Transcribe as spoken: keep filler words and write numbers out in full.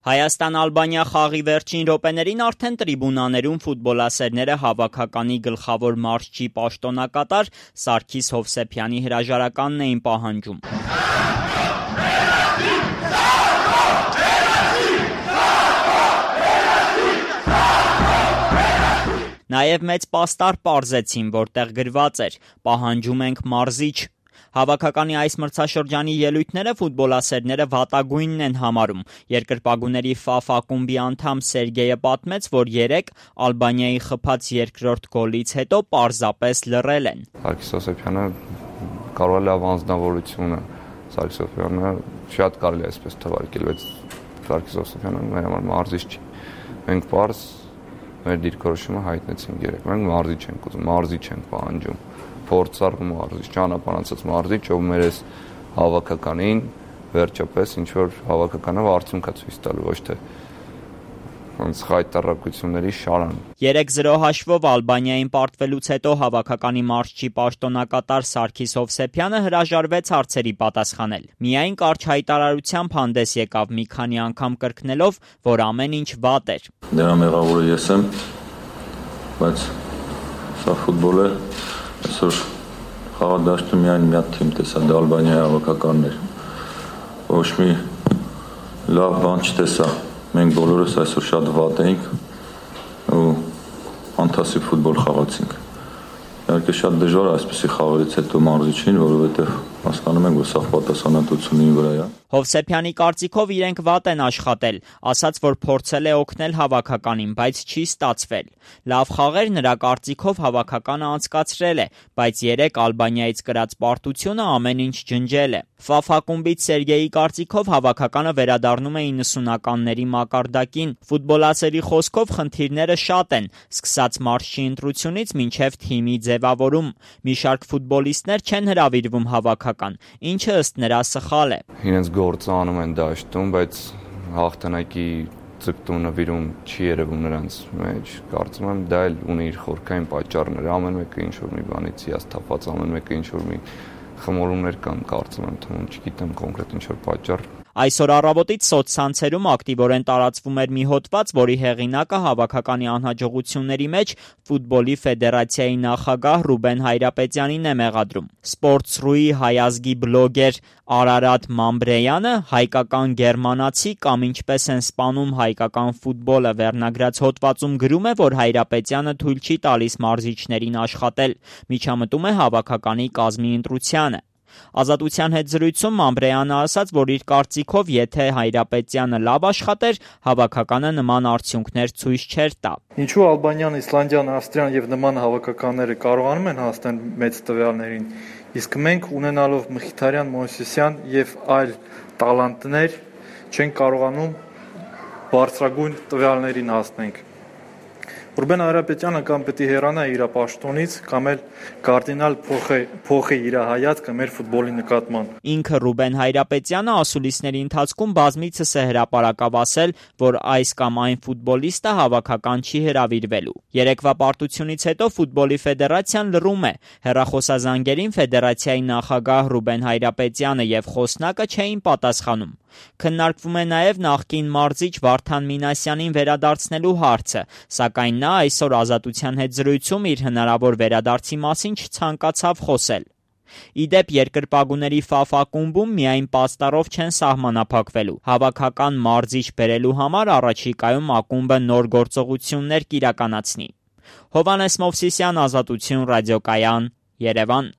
Հայաստան-Ալբանիա խաղի վերջին րոպեներին արդեն տրիբունաներում ֆուտբոլասերները հավաքականի գլխավոր մարզչի պաշտոնակատար Սարգիս Հովսեփյանի հրաժարականն էին պահանջում։ Նաև մեծ պաստառ պարզեցին, որտեղ գրված էր «Պահանջում ենք մարզիչ»։ Հավաքականի այս մրցաշրջանի ելույթները ֆուտբոլասերները վատագույնն են համարում։ Երկրպագուների Ֆ ակումբի անդամ Սերգեյը պատմեց, որ երեկ Ալբանիայի խփած երկրորդ գոլից հետո պարզապես լռել են։ Սարգիս Հովսեփյանը կարող է լավ անձնավորություն է, Սարգիս Հովսեփյանը շատ կարելի է այսպես թվարկել, բայց Սարգիս Հովսեփյանը մեր համար մարզիչ չի։ Մենք պարզ մեր դիրքորոշումը հայտնեցինք երեկ։ Մենք մարզիչ ենք ուզում, մարզիչ ենք պահանջում։ Փորձառ մարզիչ, ճանապարհացած մարզիչ, ով մեր այս հավաքականին վերջապես ինչ որ հավաքականը արդյունք է ցույց տալու, ոչ թե ոնց խայտառակությունների շարան։ երեք զրո հաշվով Ալբանիային պարտվելուց հետո հավաքականի մարզչի պաշտոնակատար Սարգիս Հովսեփյանը հրաժարվեց հարցերի պատասխանել։ Միայն կարճ հայտարարությամբ հանդես եկավ, մի քանի անգամ կրկնելով, որ ամեն ինչ վատ էր։ Դրա մեղավորը ես եմ, բայց սա ֆուտբոլ է, այսօր խաղադաշտում միայն մի հատ թիմ տեսա, դա Ալբանիայի հավաքականն էր։ Ոչ մի լավ բան չտեսա։ Մենք բոլորս այսօր շատ վատ էինք ու ֆանտաստիկ ֆուտբոլ խաղացինք։ Իհարկե շատ դժվար է այսպեսի խաղերից հետո մարզիչին, որովհետև հասկանում ենք, որ սա պատասխանատվությունի վրա է։ Հովսեփյանի կարծիքով իրենք վատ են աշխատել, ասաց, որ փորձել է օգնել հավաքականին, բայց չի ստացվել։ Լավ խաղեր նրա կարծիքով հավաքականը անցկացրել է, բայց երեկ Ալբանիայից կրած պարտությունը ամեն ինչ ջնջել է։ Ֆ ակումբից Սերգեյի կարծիքով հավաքականը վերադառնում է իննսունականների մակարդակին։ Ֆուտբոլասերի խոսքով խնդիրները շատ են, սկսած մարզչի ընտրությունից մինչև թիմի ձևավորում։ Մի շարք ֆուտբոլիստներ չեն հրավիրվում հավաքական, ինչը ըստ նրա սխալ է։ Իրենց գործը անում են դաշտում, բայց հաղթանակի ձգտումը վիրում չի երևում նրանց մեջ։ Կարծում եմ դա էլ ունի իր խորքային պատճառները, ամեն մեկը ինչ որ մի բանից հիասթափված, ամեն մեկը ինչ որ մի խմորումներ կան, կարծում եմ, թվում, չգիտեմ կոնկրետ ինչ որ պատճառ։ Այսօր առավոտից սոցցանցերում ակտիվորեն տարածվում էր մի հոդված, որի հեղինակը հավաքականի անհաջողությունների մեջ ֆուտբոլի ֆեդերացիայի նախագահ Ռուբեն Հայրապետյանին է մեղադրում։ Sports.ru-ի հայազգի բլոգեր Արարատ Մամբրեյանը հայկական գերմանացի կամ ինչպես են սպանում հայկական ֆուտբոլը վերնագրած հոդվածում գրում է, որ Հայրապետյանը թույլ չի տալիս մարզիչներին աշխատել, միջամտում է հավաքականի կազմի ընտրությանը։ Ազատության հետ զրույցում Մամբրեյանը ասաց, որ իր կարծիքով, եթե Հայրապետյանը լավ աշխատեր, հավաքականը նման արդյունքներ ցույց չէր տա։ Ինչու Ալբանիան, Իսլանդիան, Ավստրիան եւ նման հավաքականները կարողանում են հասնել մեծ տվյալներին, իսկ մենք ունենալով Մխիթարյան, Մովսեսյան եւ այլ տալանտներ չեն կարողանում բարձրագույն տվյալներին հասնենք։ Ռուբեն Հայրապետյանը կամ պետք է հեռանա իր պաշտոնից, կամ էլ կարդինալ փոխի իր հայացքը մեր ֆուտբոլի նկատմամբ։ Ինքը Ռուբեն Հայրապետյանը ասուլիսների ընթացքում բազմիցս է հրապարակավ ասել, որ այս կամ այն ֆուտբոլիստը հավաքական չի հրավիրվելու։ Երեկվա պարտությունից հետո ֆուտբոլի ֆեդերացիան լռում է։ Հեռախոսազանգերին ֆեդերացիայի նախագահ Ռուբեն Հայրապետյանը եւ խոսնակը չէին պատասխանում։ Քննարկվում է նաև նախկին մարզիչ Վարդան Մինասյանին վերադարձնելու հարցը, սակայն նա այսօր Ազատության հետ զրույցում իր հնարավոր վերադարձի մասին չցանկացավ խոսել։ Իդեպ երկրպագուների Ֆ ակումբում միայն պաստառով չեն սահմանափակվելու։ Հավաքական մարզիչ բերելու համար առաջիկայում ակումբը նոր գործողություններ կիրականացնի։ Հովհաննես Մովսիսյան, Ազատություն ռադիոկայան, Երևան։